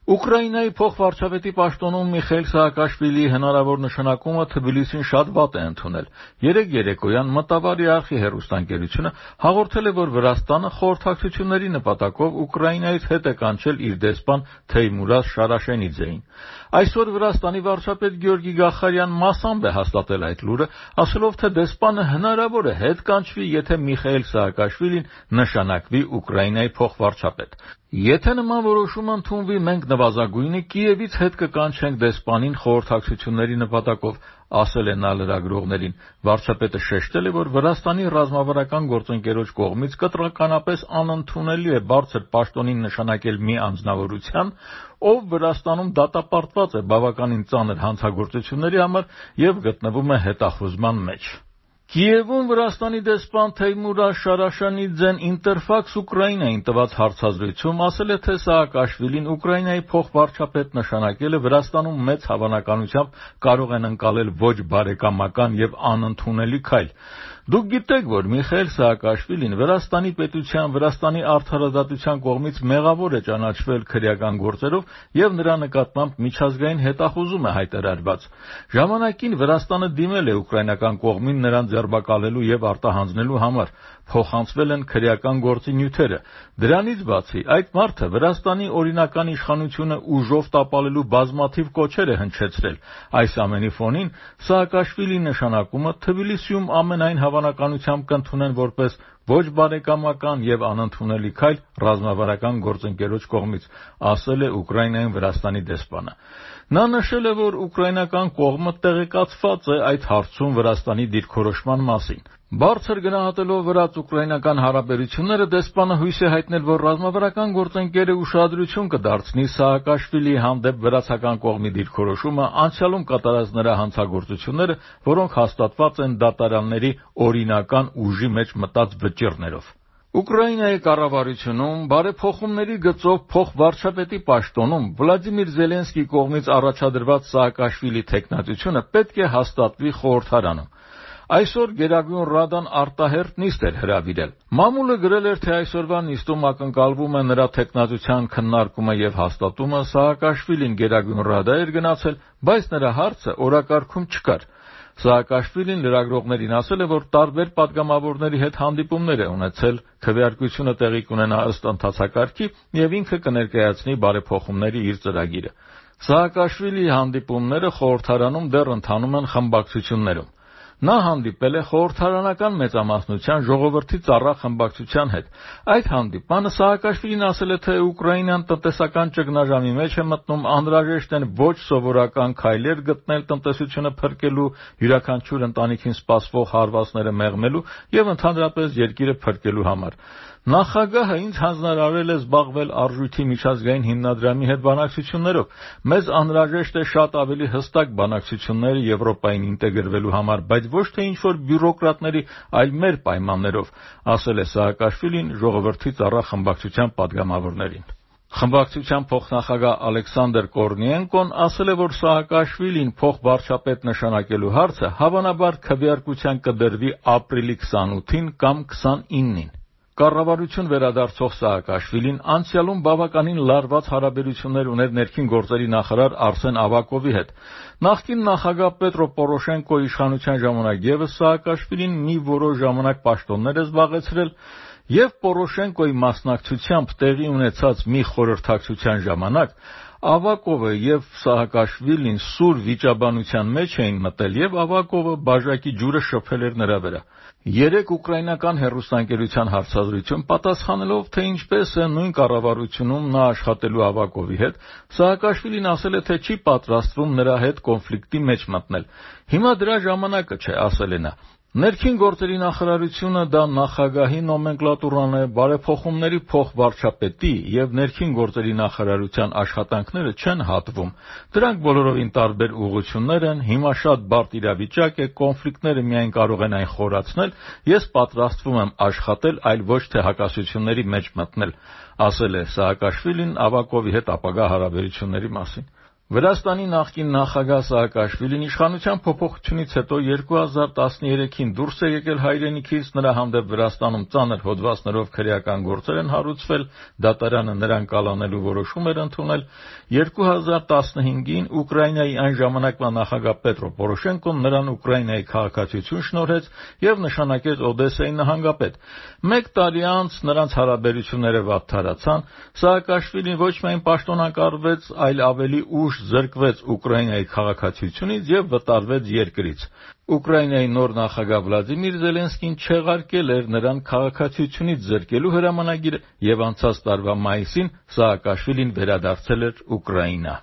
Ուկրաինայի փոխվարչապետի պաշտոնում Միխայիլ Սահակաշվիլիի հնարավոր նշանակումը Թբիլիսին շատ վատ է ընդունել։ Երեկ երեկոյան Մտավարի արխի հեռուստաընկերությունը հաղորդել է, որ Վրաստանը խորհրդակցությունների նպատակով Ուկրաինայից հետ է կանչել իր դեսպան Թեյմուրազ Շարաշենիձեին։ Այսօր Վրաստանի վարչապետ Գյորգի Գախարյան մասամբ է հաստատել այդ լուրը, ասելով, թե դեսպանը հնարավոր է հետ կանչվի, եթե Միխայիլ Սահակաշվիլին նշանակվի Ուկրաինայի փոխվարչապետ։ Եթե նման որոշում ընդունվի, մենք նվազագույնը Կիևից հետ կկանչենք դեսպանին խորհրդակցությունների նպատակով, ասել է նա լրագրողներին։ Վարչապետը շեշտել է, որ Վրաստանի ռազմավարական գործընկերոջ կողմից կտրականապես անընդունելի է բարձր պաշտոնին նշանակել մի անձնավորության, ով Վրաստանում դատապարտված է բավականին ծանր հանցագործությունների համար եւ գտնվում է հետախուզման մեջ։ Կիևում Վրաստանի դեսպան Թեյմուրազ Շարաշենիձեն Ինտերֆաքս Ուկրաինային տված հարցազրույցում ասել է, թե Սահակաշվիլին Ուկրաինայի փոխվարչապետ նշանակելը Վրաստանում մեծ հավանականությամբ կարող են ընկալել ոչ բարեկամական եւ անընդունելի քայլ։ Դուք գիտեք, որ Միխայիլ Սահակաշվիլին Վրաստանի պետության, Վրաստանի արդարադատության կողմից մեղավոր է ճանաչվել քրեական գործերով եւ նրա նկատմամբ միջազգային հետախուզում է հայտարարված։ Ժամանակին Վրաստանը դիմել է ուկրաինական կողմին նրան ձերբակալելու եւ արտահանձնելու համար, փոխանցվել են քրեական գործի նյութերը։ Դրանից բացի, այդ մարդը Վրաստանի օրինական իշխանությունը ուժով տապալելու բազմաթիվ կոչեր է հնչեցրել։ Այս ամենի ֆոնին Սահակաշվիլիի նշանակումը Թբիլիսիում ամենայն հավանականությամբ կընդունեն որպես ոչ բարեկամական եւ անընդունելի քայլ ռազմավարական գործընկերոջ կողմից, ասել է Ուկրաինայում Վրաստանի դեսպանը։ Նա նշել է, որ ուկրաինական կողմը տեղեկացված է այդ հարցում Վրաստանի դիրքորոշման մասին։ Բարձր գնահատելով վրաց-ուկրաինական հարաբերությունները, դեսպանը հույս է հայտնել, որ ռազմավարական գործընկերը ուշադրություն կդարձնի Սահակաշվիլիի հանդեպ վրացական կողմի դիրքորոշումը, անցյալում կատարած նրա հանցագործությունները, որոնք հաստատված են դատարանների օրինական ուժի մեջ մտած վճիռներով։ Ուկրաինայի կառավարությունում բարեփոխումների գծով փոխվարչապետի պաշտոնում Վլադիմիր Զելենսկիի կողմից առաջադրված Սահակաշվիլի թեկնածությունը պետք է հաստատվի խորհրդարանում։ Այսօր Գերագույն Ռադան արտահերթ նիստ էր հրավիրել։ Մամուլը գրել էր, թե այսօրվա նիստում ակնկալվում է նրա թեկնածության քննարկումը եւ հաստատումը։ Սահակաշվիլին Գերագույն Ռադա էր գնացել, բայց նրա հարցը օրակարգում չկար։ Սահակաշվիլին լրագրողներին ասել է, որ տարբեր պատգամավորների հետ հանդիպումներ է ունեցել, քվեարկությունը տեղի կունենա ըստ ընթացակարգի եւ ինքը կներկայացնի բարեփոխումների իր ծրագիրը։ Սահակաշվիլիի հանդիպումները խորհրդարանում դեռ ընթանում են խմբակցություններում։ Նա հանդիպել է խորհրդարանական մեծամասնության ժողովրդի ծառա խմբակցության հետ։ Այդ հանդիպմանը Սահակաշվիլին ասել է, թե Ուկրաինան տնտեսական ճգնաժամի մեջ է մտնում, անհրաժեշտ են ոչ սովորական քայլեր գտնել տնտեսությունը փրկելու, յուրաքանչյուր ընտանիքին սպասվող հարվածները մեղմելու եւ ընդհանրապես երկիրը փրկելու համար։ Նախագահը ինձ հանձնարարել է զբաղվել արժույթի միջազգային հիմնադրամի հետ բանակցություններով։ Մեզ անհրաժեշտ է շատ ավելի հստակ բանակցություններ Եվրոպային ինտեգրվելու համար, բայց ոչ թե ինչ-որ բյուրոկրատների, այլ մեր պայմաններով, ասել է Սահակաշվիլին ժողովրդի ծառա խմբակցության պատգամավորներին։ Խմբակցության փոխնախագահ Ալեքսանդր Կորնիենկոն ասել է, որ Սահակաշվիլին փոխվարչապետ նշանակելու հարցը հավանաբար քվեարկության կդրվի ապրիլի 28-ին կամ 29-ին։ Կառավարություն վերադարձող Սահակաշվիլին անցյալում բավականին լարված հարաբերություններ ուներ ներքին գործերի նախարար Արսեն Ավակովի հետ։ Նախկին նախագահ Պետրո Պորոշենկոյի իշխանության ժամանակ ևս Սահակաշվիլին մի որոշ ժամանակ պաշտոններ է զբաղեցրել եւ Պորոշենկոյի մասնակցությամբ տեղի ունեցած մի խորհրդակցության ժամանակ Ավակովը եւ Սահակաշվիլին սուր վիճաբանության մեջ էին մտել եւ Ավակովը բաժակի ջուրը շփել էր նրա վրա։ Երեք ուկրաինական հեռուստաընկերության հարցազրույցում պատասխանելով, թե ինչպես է նույն կառավարությունում նա աշխատելու Ավակովի հետ, Սահակաշվիլին ասել է, թե չի պատրաստվում նրա հետ կոնֆլիկտի մեջ մտնել։ Հիմա դրա ժամանակը չէ, ասել է նա։ Ներքին գործերի նախարարությունը դա նախագահի նոմենկլատուրան է, բարեփոխումների փոխվարչապետի եւ ներքին գործերի նախարարության աշխատանքները չեն հատվում։ Դրանք բոլորովին տարբեր ուղղություններ են, հիմա շատ բարդ իրավիճակ է, կոնֆլիկտները միայն կարող են այն խորացնել, ես պատրաստվում եմ աշխատել, այլ ոչ թե հակասությունների մեջ մտնել, ասել է Սահակաշվիլին Ավակովի հետ ապագա հարաբերությունների մասին։ Վրաստանի նախկին նախագահ Սաակաշվիլին իշխանության փոփոխությունից հետո 2013-ին դուրս է եկել հայրենիքից, նրա հանդեպ Վրաստանում ծանր հոդվածներով քրեական գործեր են հարուցվել, դատարանը նրան կալանելու որոշում էր ընդունել։ 2015-ին Ուկրաինայի այն ժամանակվա նախագահ Պետրո Պորոշենկոն նրան Ուկրաինայի քաղաքացիություն շնորհեց եւ նշանակեց Օդեսայի նահանգապետ։ Մեկ տարի անց նրանց հարաբերությունները վատթարացան, Սաակաշվիլին ոչ միայն պաշտոնակարգվեց, այլ ավելի ուշ զրկվեց Ուկրաինայի քաղաքացիությունից եւ վտարվեց երկրից։ Ուկրաինայի նոր նախագահ Վլադիմիր Զելենսկին չեղարկել էր նրան քաղաքացիությունից զրկելու հրամանագիրը եւ անցած տարվա մայիսին Սաակաշվիլին վերադարձել էր Ուկրաինա։